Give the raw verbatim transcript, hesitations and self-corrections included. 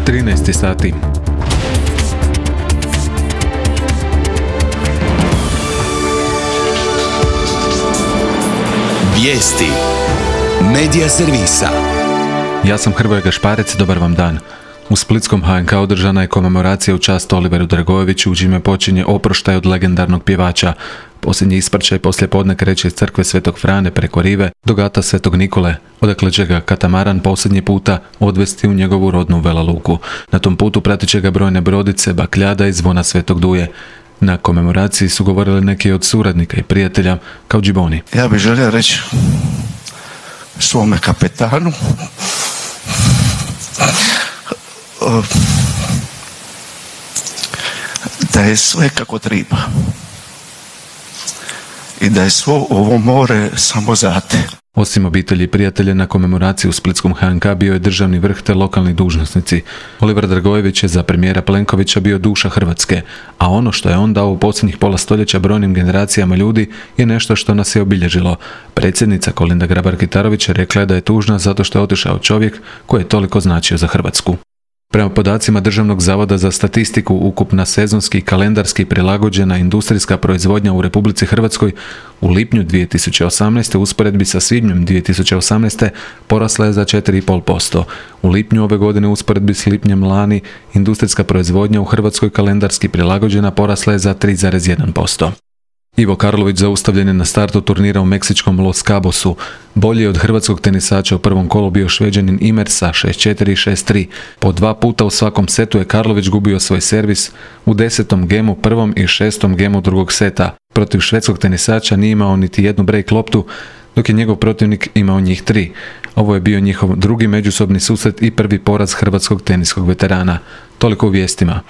trinaest sati. Vijesti Medija servisa. Ja sam Hrvoje Gašparec, dobar vam dan. U splitskom H N K održana je komemoracija u čast Oliveru Dragojeviću, u čime počinje oproštaj od legendarnog pjevača. Posljednji ispraćaj poslije podne kreće iz crkve Svetog Frane preko rive do gata Svetog Nikole, odakle će ga katamaran posljednji puta odvesti u njegovu rodnu Vela Luku. Na tom putu pratit će ga brojne brodice, bakljada i zvona Svetog Duje. Na komemoraciji su govorili neki od suradnika i prijatelja kao Džiboni. Ja bih želio reći svome kapetanu da je sve kako treba i da je svo ovo more samo za te. Osim obitelji i prijatelja, na komemoraciji u splitskom H N K bio je državni vrh te lokalni dužnosnici. Oliver Dragojević je za premijera Plenkovića bio duša Hrvatske, a ono što je on dao u posljednjih pola stoljeća brojnim generacijama ljudi je nešto što nas je obilježilo. Predsjednica Kolinda Grabar-Kitarović rekla je da je tužna zato što je otišao čovjek koji je toliko značio za Hrvatsku. Prema podacima Državnog zavoda za statistiku, ukupna sezonski i kalendarski prilagođena industrijska proizvodnja u Republici Hrvatskoj u lipnju dvije tisuće osamnaeste u usporedbi sa svibnjem dvije tisuće osamnaeste porasla je za četiri zarez pet posto. U lipnju ove godine u usporedbi s lipnjem lani industrijska proizvodnja u Hrvatskoj kalendarski prilagođena porasla je za tri zarez jedan posto. Ivo Karlović zaustavljen je na startu turnira u meksičkom Los Cabosu. Bolji od hrvatskog tenisača u prvom kolu bio Šveđanin Imer sa šest četiri i šest tri. Po dva puta u svakom setu je Karlović gubio svoj servis u desetom gemu prvom i šestom gemu drugog seta. Protiv švedskog tenisača nije imao niti jednu break loptu, dok je njegov protivnik imao njih tri. Ovo je bio njihov drugi međusobni susret i prvi poraz hrvatskog teniskog veterana. Toliko u vijestima.